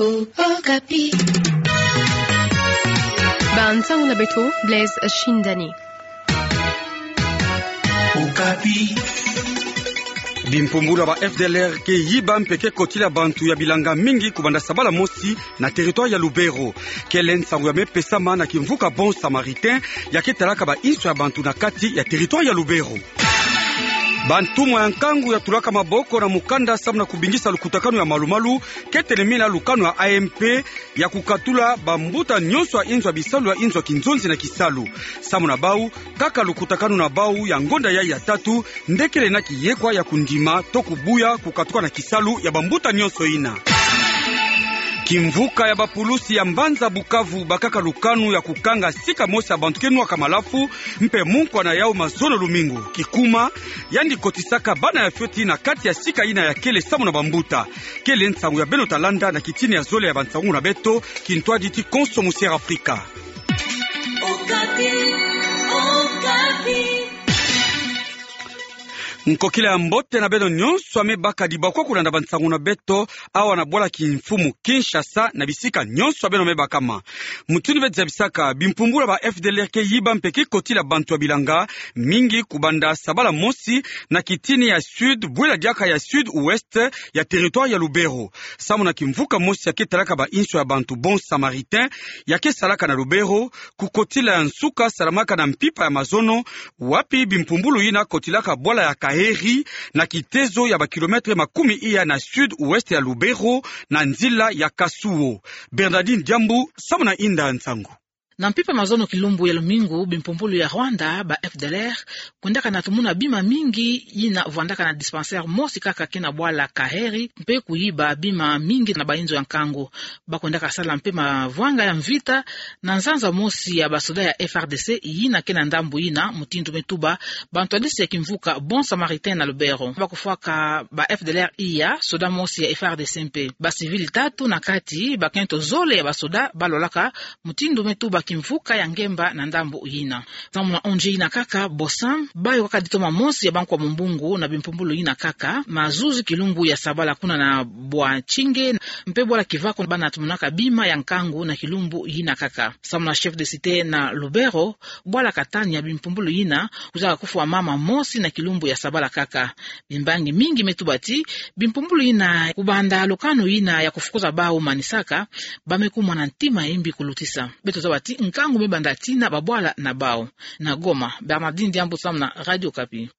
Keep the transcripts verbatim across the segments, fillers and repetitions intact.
Okapi. Bansango na beto, Blaise Shindani. Okapi. Bimpumbulu ya ba F D L R ke yiba mpe ke kotila bantu ya bilanga mingi kubanda sabala mosi na territoire ya Lubero. Kele nsangu ya me pesama na kimvuka Bon Samaritain, ya ke talaka ba inso ya bantu na kati ya territoire ya Lubero. Bantumwa ya nkangu ya tulaka maboko na mukanda samu na kubingisa lukutakanu ya malumalu, ke telemina lukanu ya A M P, ya kukatula bambuta nyonso ya inzo ya bisalu ya inzo ya kinzonzi na kisalu. Samu na bau, kaka lukutakanu na bau ya ngonda yayi ya tatu, nde kele na kiyekwa ya kundima to kubuya kukatuka na kisalu ya bambuta nyonso yina. Kimvuka ya bapulusi ya mbanza Bukavu bakaka lukanu ya kukanga sika mosi ya bantu ke nwaka malafu, mpe munkwa na yau mazono lumingu. Kikuma, yandi kotisaka bana ya fioti na kati ya sika yina ya kele samu na bambuta. Kele nsangu ya beno ta landa na kitini ya zole ya bansangu na beto, kintwadi ti konso musiere Afrika. Okapi, Okapi. Nkokila ya mbote na beno nyonso ya me baka dibakwa kulanda bansangu na beto, awa na bwala kimfumu Kinshasa na bisika nyonso ya beno me bakama. Mutindu beto zabisaka, bimpumbulu ya ba F D L R ke yiba mpe ke kotila bantu ya bilanga mingi kubanda sabala mosi na kitini ya sud, bwela diaka ya sud-ouest ya territoire ya Lubero. Samu na kimvuka mosi ya ke talaka ba inso ya bantu Bon Samaritain, ya ke salaka na Lubero, kukotila ya nsuka salamaka na mpimpa ya mazono, wapi bimpumbulu yina kotilaka bwala ya Kaheri, na kitezo ya ba kilomètre makumi iya na sud-ouest ya Lubero, na nzila ya Kasuo. Bernardine Diambu, samu na inda ya nsangu. Na mpimpa mazono kilumbu ya lumingu, bimpumbulu ya Rwanda, ba F D L R, kwendaka na tumuna bima mingi yina vwandaka na dispensaire mosi kaka ke na bwala Kaheri, mpe kuyiba bima mingi na ba inzo ya nkangu. Bakwendaka sala mpe mavwanga ya mvita na nzanza mosi ya basoda ya F R D C yina ke na ndambu yina, mutindu me tuba bantwadisi ya kimvuka Bon Samaritain na Lubero. Bakufwaka ba F D L R iya, soda mosi ya F R D C mpe. Ba civil tatu na kati, bakento zole ya basoda balolaka, mutindu me tuba kimvuka ya ngemba na ndambu yina. Samu na O N G yina kaka, Bosam, bayo kaka ditoma mosi ya bankwa mumbungu na bimpumbulu yina kaka, mazuzi kilumbu ya sabala kuna na bwa Tsinge, mpe bwala Kivako bana tumunaka bima ya nkangu na kilumbu yina kaka. Samu na chef de cité na Lubero, bwala Katania, bimpumbulu yina kwizaka kufwa mama mosi na kilumbu ya sabala kaka. Bimbangi mingi me tuba ti bimpumbulu yina kubanda lukanu yina ya kufukuza bau manisaka, ba me kumona ntima ya imbi kulutisa. Beto zaba ti nkangu me banda tina babwala na bau. Na Goma, Bernardine Diambu samu na Radio Okapi.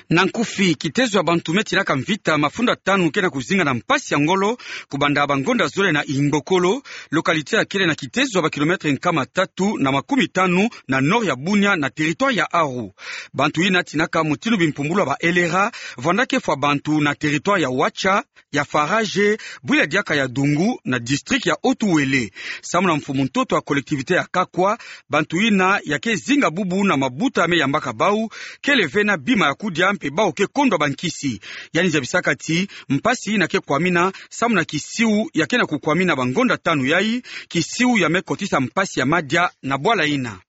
Na nkufi, kitezo ya bantu me tinaka mvita mafunda tanu ke na kuzinga na mpasi ya ngolo, kubanda bangonda zole na Ingbokolo, localité ya kele na kitezo ya ba kilomètre nkama tatu na makumi tanu na nord ya Bunia na territoire ya Aru. Bantu yina tinaka mutindu bimpumbulu ya ba L R A, vwanda ke fwa bantu na territoire ya Wacha, ya Faraje, bwila diaka ya Dungu, na district ya Haut-Uele. Samu na mfumu ntoto ya collectivité ya Kakwa, bantu yina ya ke zinga bubu na mabuta me yambaka bau, kele ve na bima ya kudia mpe bau ke kondwa bankisi. Yandi zabisaka ti mpasi yina ke kwamina samu na kisiu ya ke na kukwamina bangonda tanu yayi, kisiu ya me kotisa mpasi ya madia na bwala yina.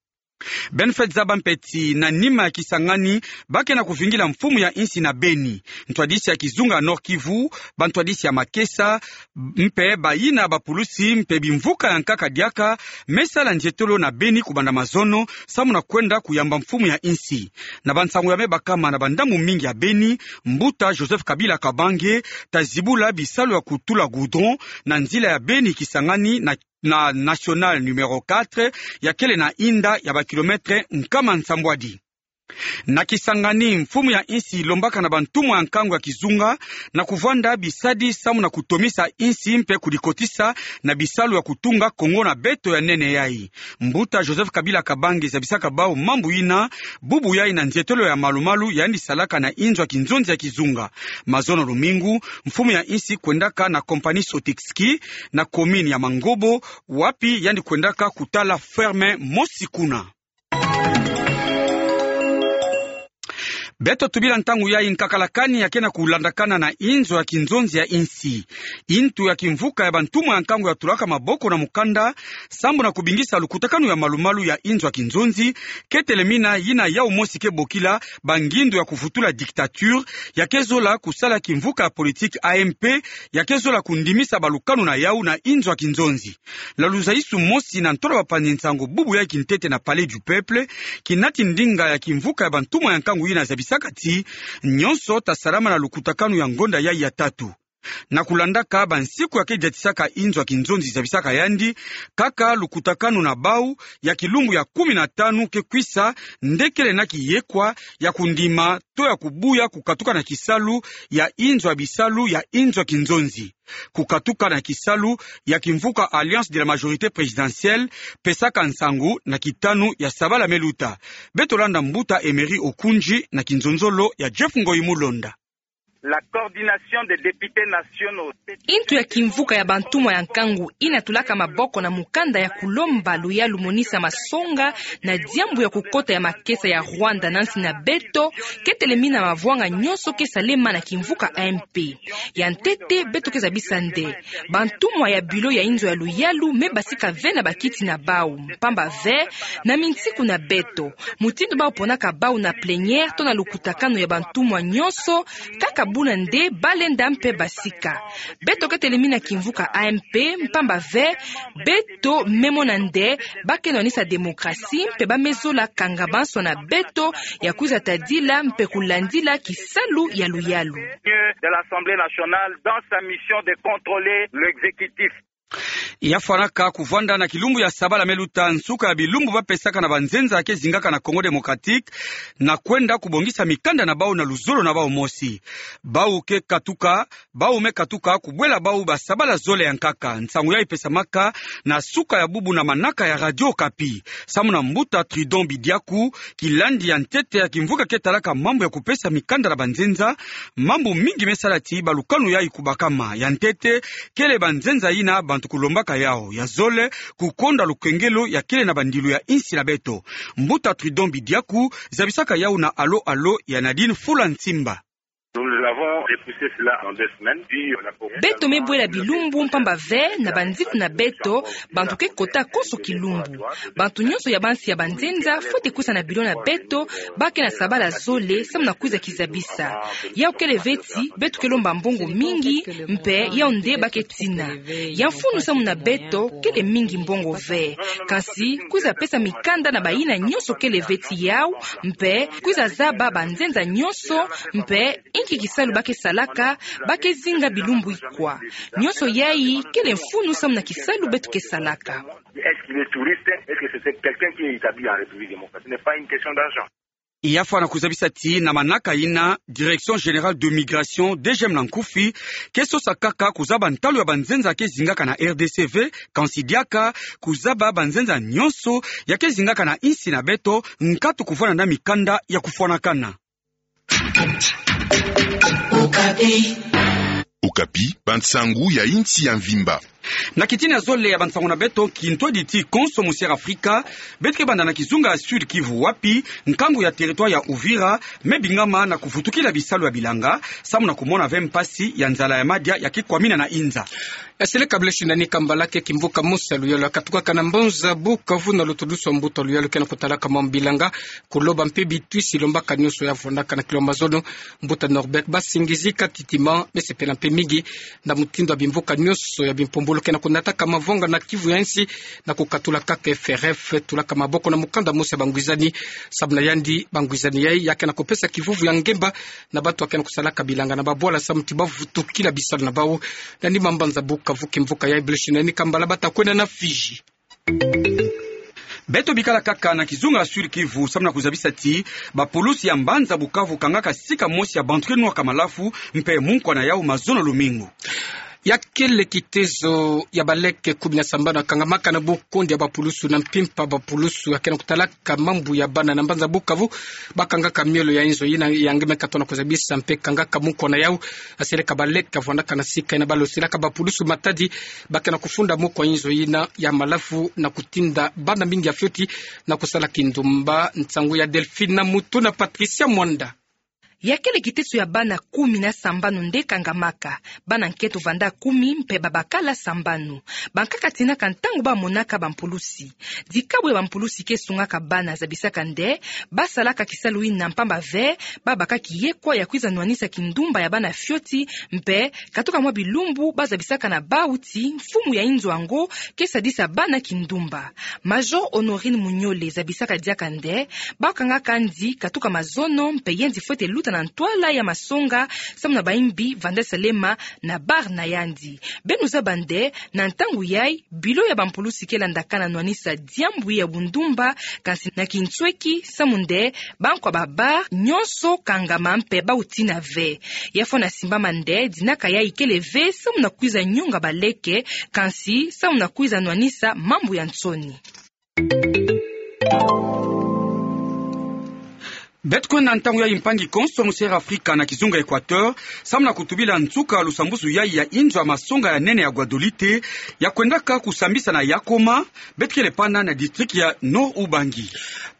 Beno fweti zaba mpe ti na nima ya Kisangani, ba ke na kuvingila mfumu ya insi na Beni, ntwadisi ya kizunga Nord-Kivu, bantwadisi ya makesa, mpe bayina bapulusi mpe bimvuka ya nkaka diaka, me sala nzietolo na Beni kubanda mazono, samu na kwenda kuyamba mfumu ya insi. Na bansangu ya me bakama na bandambu mingi ya Beni, mbuta Joseph Kabila Kabange ta zibula bisalu ya kutula goudron na nzila ya Beni-Kisangani na na nationale numéro quatre, ya kele na inda ya ba kilomètre nkama nsambwadi. Na Kisangani, mfumu ya insi lombaka na bantumwa ya nkangu ya kizunga na kuvwanda bisadi samu na kutomisa insi mpe kudikotisa na bisalu ya kutunga Kongo na beto ya nene yayi. Mbuta Joseph Kabila Kabange zabisaka bau mambu yina, bubu yayi na nzietolo ya malumalu yandi salaka na inzo ya kinzonzi ya kizunga. Mazono lumingu, mfumu ya insi kwendaka na compagnie Sotexki na commune ya Mangobo, wapi yandi kwendaka kutala ferme mosi kuna. Beto tubila ntangu yayi nkakala kani ya kena kulandakana na inzo ya kinzonzi ya insi. Intu ya kimvuka ya bantumwa ya nkangu ya tulaka maboko na mukanda, sambu na kubingisa lukutakanu ya malumalu ya inzo ya kinzonzi, ke telemina yina yau mosi ke bokila bangindu ya kuvutula dictature, ya ke zola kusala kimvuka ya politique A M P, ya ke zola kundimisa balukanu na yau na inzo ya kinzonzi. Na luzayisu mosi na ntola bapanzi nsangu bubu ya kintete na Palais du Peuple, kinati ndinga ya kimvuka ya bantumwa ya nkangu yina zabisaka ti, nyonso ta salama na lukutakanu ya ngonda yayi ya tatu. Na kulandaka bansiku ya ke diatisaka inzo ya kinzonzi zabisaka yandi, kaka lukutakanu na bau ya kilumbu ya kumi na tanu ke kwisa, nde kele na kiyekwa ya kundima to ya kubuya kukatuka na kisalu ya inzo ya bisalu ya inzo ya kinzonzi. Kukatuka na kisalu ya kimvuka Alliance de la Majorité Présidentielle, pesaka nsangu na kitanu ya sabala me luta. Beto landa mbuta Emery Okundji na kinzonzolo ya Jeff Ngoyi Mulonda. La coordination des députés nationaux. Intu ya kimvuka ya bantumwa ya nkangu yina tulaka maboko na mukanda ya kulomba luyalu monisa masonga na diambu ya kukota ya makesa ya Rwanda na nsi na beto, ke telemina mavwanga nyonso ke salema na kimvuka A M P. Ya ntete, beto ke zabisa nde bantumwa ya bilo ya inzo ya luyalu me basika ve na bakiti na bau, mpamba ve, na minsiku na beto, mutindu bau ponaka bau na plénière to na lukutakanu ya bantumwa nyonso, kaka buna nde ba lenda mpe basika. Beto ke telemina kimvuka A M P, mpamba ve, beto me mona nde ba ke nwanisa démocratie, mpe ba me zola kanga banso na beto ya kwiza tadila mpe kulandila kisalu ya luyalu. De l'Assemblée nationale dans sa mission de contrôler l'exécutif. Ya fwanaka kuvwanda na kilumbu ya sabala me luta, nsuka ya bilumbu ba pesaka na banzenza ke zingaka na Congo Démocratique, na kwenda kubongisa mikanda na bau na luzolo na bau mosi. Bau ke katuka, bau me katuka kubwela bau ba sabala zole ya nkaka. Nsangu yayi pesamaka na suka ya bubu na manaka ya Radio Okapi. Samu na mbuta Trudon Bidiaku, kilandi ya ntete ya kimvuka ke talaka mambu ya kupesa mikanda na banzenza, mambu mingi me sala ti balukanu yayi kubakama. Ya ntete, kele banzenza yina bantu kulombaka yau. Ya zole, kukonda lukengelo ya kele na bandilu ya insi na beto. Mbuta Trudon Bidiaku zabisaka yau na Allô Allô ya Nadine Fula Nsimba. Nous avons repoussé cela en deux semaines, puis on a commencé. Beto me bwela bilumbu, mpamba ve, na banziku na beto, bantu ke kota konso kilumbu. Bantu nyonso ya bansi ya banzenza fwete kwisa na bilo na beto, ba ke na sabala zole, samu na kwiza kizabisa. Yau kele ve ti beto ke lomba mbongo mingi, mpe yau nde ba ke tina. Ya mfunu samu na beto, kele mingi mbongo ve. Kansi, kwiza pesa mikanda na bayina nyonso kele ve ti yau, mpe kwiza zaba banzenza nyonso, mpe inki kisalu ba ke salaka, ba ke zinga bilumbu ikwa. Nyonso yayi, kele mfunu samu na kisalu beto ke salaka. Est-ce qu'il est touriste? Est-ce que c'est quelqu'un qui est établi en République démocratique? Ce n'est pas une question d'argent. Ya fwana kuzabisa ti na manaka yina, Direction Générale de Migration, D G M na nkufi, ke sosa kaka kuzaba ntalu ya banzenza ke zingaka na R D C V, kansi diaka kuzaba banzenza nyonso ya ke zingaka na insi na beto, nkatu kuvwanda na mikanda ya kufwanakana. Okapi, bansangu ya insi ya mvimba. Na kitini ya zole ya bansangu na beto, kintwadi ti konso mu Sierra Afrika, beto ke banda na kizunga ya Sud Kivu wapi nkangu ya territoire ya Uvira me bingama na kuvutukila bisalu ya bilanga, samu na kumona ve mpasi ya nzala ya madia ya ke kwamina na inza. Eseleka Blaise Nani Kambala ke kimvuka mosi ya luyalu ya katukaka na mbanza Bukavu na lutulusu ya mbuta luyalu ke na kutalaka mambu bilanga, kuloba mpe bitwisi lombaka nyonso ya vwandaka na kilo ya mazono. Mbuta Norbert Basingizi Katitima me sepela mpe mingi na mutindu ya bimvuka nyonso ya bimpumbulu ke na kunataka mavonga na Kivu ya insi na kukatula kaka F R F tulaka maboko na mukanda mosi ya bangwizani. Samu na yandi, bangwizani yayi ya ke na kupesa kivuvu ya ngemba na bantu ya ke na kusalaka bilanga na babwala samu ti ba vutukila bisalu na bau. Nani ma mbanza Bukavu kimvuka yayi Blaise Nani Kambala bata kwenda na Fiji. Beto bikala kaka na kizunga ya Sud Kivu, samu na kuzabisa ti bapulusi ya mbanza Bukavu kangaka sika mosi ya bantu ke nwaka malafu mpe munkwa na yau mazono lumingu. Ya kele kitezo ya baleke kumi na sambanu ya kangamaka na bukundi ya bapulusu na mpimpa bapulusu ya ke na kutalaka mambu ya bana na mbanza Bukavu, ba kangaka miolo ya inzo yina ya nge me katona kuzabisa mpe kangaka munkwa na yau. Eseleka baleke ya vwandaka na sika yina ba losilaka bapulusu matadi, ba ke na kufunda munkwa inzo yina ya malafu na kutinda bana mingi ya fioti na kusala kindumba. Nsangu ya Delphine Mutu na Patricia Mwanda. Ya kele kiteso ya bana kumi na sambanu nde kangamaka. Bana nketo vanda kumi mpe babakala sambanu. Bankaka tinaka ntangu bamonaka bampulusi. Dikabu ya bampulusi ke sungaka bana zabisaka nde basalaka kisalu yina mpamba ve babaka kiyekwa ya kwiza nwanisa kindumba ya bana fioti, mpe katuka mwa bilumbu bazabisaka na bau ti mfumu ya inzo yango ke sadisa bana kindumba. Major Honorine Munyole zabisaka diaka nde bakangaka nzi katuka mazono mpe yandi fwete luta na ntwala ya masonga samu na bayimbi vanda salema na bar na yandi. Beno zaba nde na ntangu yayi bilo ya bampulusi ke landakana nwanisa diambu ya bundumba, kansi na kinsweki samu nde bankwa ba bar nyonso kangama mpe bau tina ve. Ya fwana simbama nde dinaka yayi kele ve samu na kwiza nyonga baleke, kansi samu na kwiza nwanisa mambu ya nsoni. Beto kwenda ntangu yayi mpangi konso mu Sierra Afrika na kizunga Equateur, samu na kutubila nsuka lusambusu yayi ya inzo ya masonga ya nene ya Guadolite, ya kwendaka kusambisa na Yakoma, beto kele pana na district ya Nord-Ubangi.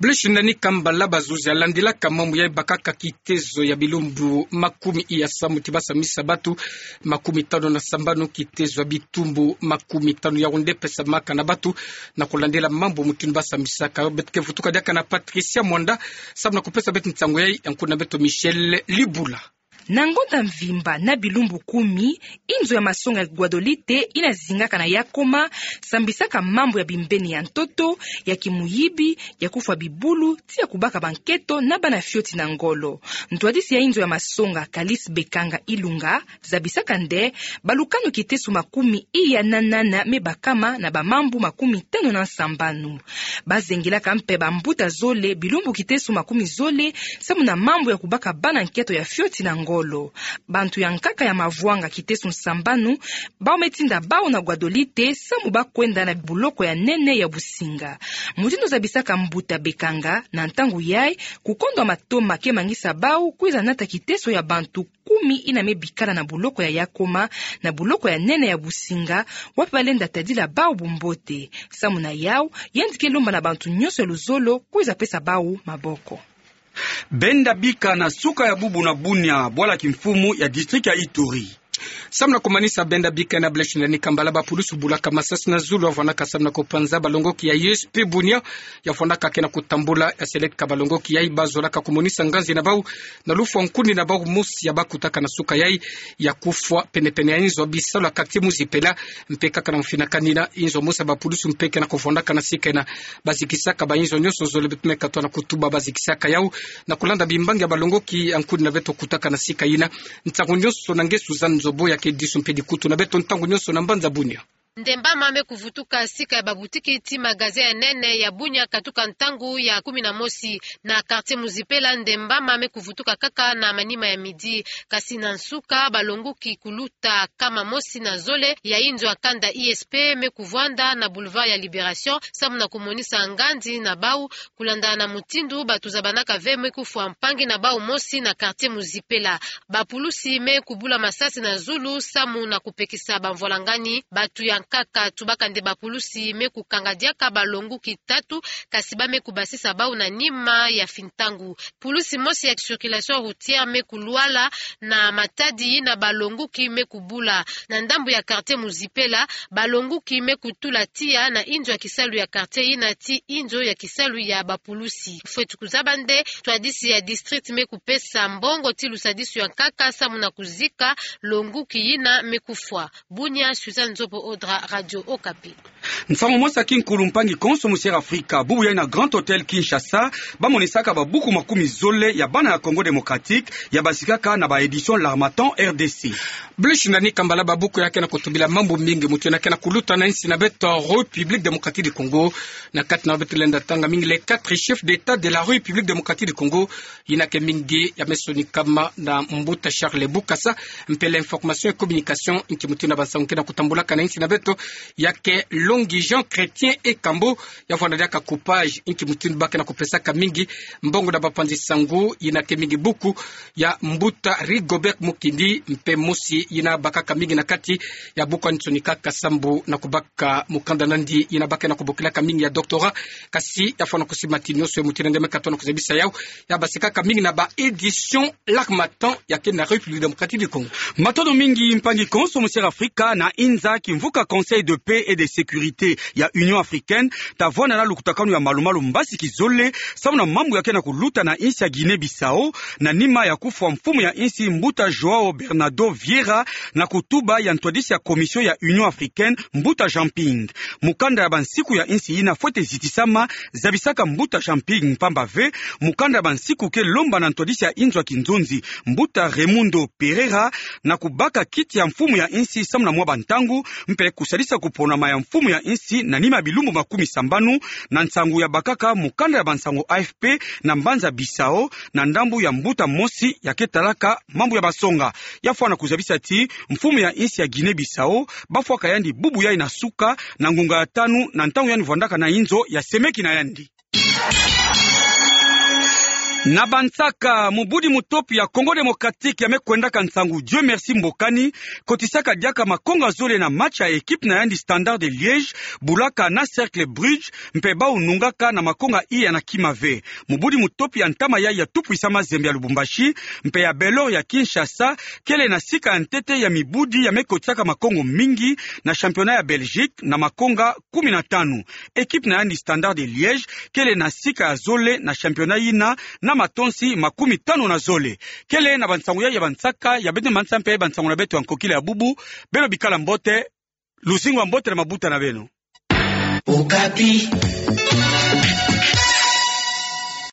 Blaise Nani Kambala, bazuzi ya landilaka mambu yayi bakaka kitezo ya bilumbu makumi iya samu ti basambisa batu makumi tanu na sambanu kitezo ya bitumbu makumi tanu ya unde pesamaka na batu na kulandila mambu mutindu basambisaka. Beto ke vutuka diaka na Patricia Mwanda, samu na kupesa beto nsangu yayi, ya nkuna beto Michel Libula. Na ngonda mvimba na bilumbu kumi, inzo ya masonga ya Guadolite yina zingaka na Yakoma sambisaka mambu ya bimbeni ya ntoto, ya kimuyibi, ya kufwa bibulu, ti ya kubaka banketo na bana fioti na ngolo. Ntwadisi ya inzo ya masonga, Calice Bekanga Ilunga, zabisaka nde balukanu kiteso makumi iya na nana me bakama na bamambu makumi tanu na sambanu. Bazengilaka mpe bambuta zole bilumbu kiteso makumi zole samu na mambu ya kubaka bana nketo ya fioti na ngolo. Bantu ya nkaka ya mavwanga kiteso sambanu bau me tinda bau na Guadolite samu bakwenda na buloko ya nene ya Businga. Mutindu zabisaka mbuta Bekanga, na ntangu yayi kukondwa matoma ke mangisa bau kwiza nata kiteso ya bantu kumi yina me bikala na buloko ya Yakoma, na buloko ya nene ya Businga, wapi balenda tadila bau bumbote. Samu na yau, yandi ke lomba na bantu nyonso ya luzolo kwiza pesa bau maboko. Benda bika na suka ya bubu na Bunia, bwala kimfumu ya district ya Ituri. Samu na kumanisa benda bika na Blaise Nani Kambala, bapulusu bulaka masasi na zulu ya vwanaka samu na kupanza balongoki ya I S P Bunia, ya vwanaka ke na kutambula, ya seleka balongoki yayi bazolaka kumonisa nganzi na bau na lufwa nkuni na bau mosi ya bakutaka na suka yayi ya kufwa penepene ya inzo bisalu ya quartier Muzipela, mpe kaka na mfinakani na inzo mosi ya bapulusu mpe ke na kuvwandaka na sika yina. Bazikisaka bainzo nyonso zole, beto me katuka na kutuba bazikisaka yau na kulanda bimbangi ya balongoki ya nkuni na beto kutaka na sika yina. Ntangu nyonso na nge Suzanne Nzobo ya ke disu mpe dikutu na beto ntangu nyonso na mbanza Bunia. Ndembama me kuvutuka sika ya babutiki ti magasin ya nene ya Bunia katuka ntangu ya kumi na mosi. Na quartier Muzipela, ndembama me kuvutuka kaka na manima ya midi. Kasi na nsuka, balongoki kuluta kama mosi na zole ya inzo ya kanda I S P me kuvwanda na Boulevard ya Liberation, samu na kumonisa nganzi na bau, kulanda na mutindu batu zabanaka ve me kufwa mpangi na bau mosi na quartier Muzipela. Bapulusi me kubula masasi na zulu samu na kupekisa bamvwalangani. Batu ya nkaka tubaka nde bapulusi me kukanga diaka balongoki tatu, kasi ba me kubasisa bau na nima ya fintangu. Pulusi mosi ya circulation routière me kulwala na matadi yina balongoki me kubula. Na ndambu ya quartier Muzipela, balongoki me kutula tiya na inzo ya kisalu ya quartier yina ti inzo ya kisalu ya bapulusi. Fweti kuzaba nde ntwadisi ya district me kupesa mbongo ti lusadisu ya nkaka samu na kuzika longoki yina me kufwa. Bunia, Suzanne Nzobo Odra, Radio Okapi. Nsangu mosi ya kinkulu, mpangi konso mu Sierra Afrika, bubu yayi na Grand Hôtel Kinshasa, bamonisaka babuku makumi zole ya bana ya Congo Démocratique, ya bazikaka na ba éditions L'Harmattan R D C. Blaise Nani Kambala, babuku ya ke na kutubila mambu mingi mutu yina ke na kuluta na insi na beto République Démocratique du Congo. Na kati na beto lenda tanga mingi les quatre chefs d'État de la République Démocratique du Congo, yina ke mingi ya me sonikama na mbuta Charles Bukasa, mpe l'information et communication, nki mutu yina bansangu ke na kutambulaka na insi na beto. ya ke Longui Jean Chrétien Ekambo, ya fwana diaka coupage, inki mutindu ba ke na kupesaka mingi mbongo na bapanzi sangu, yina ke mingi buku ya mbuta Rigobert Mukindi, mpe mosi yina bakaka mingi na kati ya buku ya nsoni kaka sambu na kubaka mukanda nandi, yina ba ke na kubokilaka mingi ya doctorat, kasi ya fwana kusimba ti nionso ye mutindu nde me katono kuzabisa yau, ya basikaka mingi na ba éditions L'Harmattan ya ke na République Démocratique du Congo. Matondo mingi mpangi konso mosiri Afrika na inza kimvuka Conseil de paix et de sécurité ya Union africaine, ta vwanda na lukutakanu ya malumalu mbasi kizole, samu na mambu ya ke na kuluta na insi ya Guinée-Bissau, na nima ya kufwa mfumu ya insi mbuta João Bernardo Vieira, na kutuba ya ntwadisi ya Commission ya Union africaine, mbuta Jean Ping. Mukanda ya bansiku ya insi yina fwete zitisama, zabisaka mbuta Jean Ping mpamba ve, mukanda ya bansiku ke lomba na ntwadisi ya inzo ya kinzonzi, mbuta Raimundo Pereira, na kubaka kiti ya mfumu ya insi samu na mwa bantangu, mpe kusalisa kuponama ya mfumu ya insi na nima ya bilumbu makumi sambanu, na nsangu ya bakaka mukanda ya bansangu A F P na mbanza Bissau, na ndambu ya mbuta mosi ya ke talaka mambu ya masonga. Ya fwana kuzabisa ti mfumu ya insi ya Guinée-Bissau, ba fwaka yandi bubu yai na suka, na ngunga ya tanu, na ntangu yandi vwandaka na inzo ya semeki na yandi. Na bansaka, mubudi mu top ya Congo Démocratique ya me kwendaka nsangu Dieu Merci Mbokani, kotisaka diaka makonga zole na match ya équipe na yandi Standard de Liège, bulaka na Cercle Brugge, mpe bau nungaka na makonga iya na kima ve. Mubudi mu top ya ntama yai ya Tout Puissant Mazembe ya Lubumbashi, mpe ya Bel Or ya Kinshasa, kele na sika ya ntete ya mibudi ya me kotisaka makongo mingi na championnat ya Belgique na makonga kumi na tanu. Équipe na yandi Standard de Liège kele na sika ya zole na championnat yina na matonsi makumi tanu na zole. Kele na bansangu yai ya bansaka ya beto mansa mpe bansangu na beto ya nkokila ya bubu, beno bikala mbote, luzingu ya mbote na mabuta na beno. Okapi.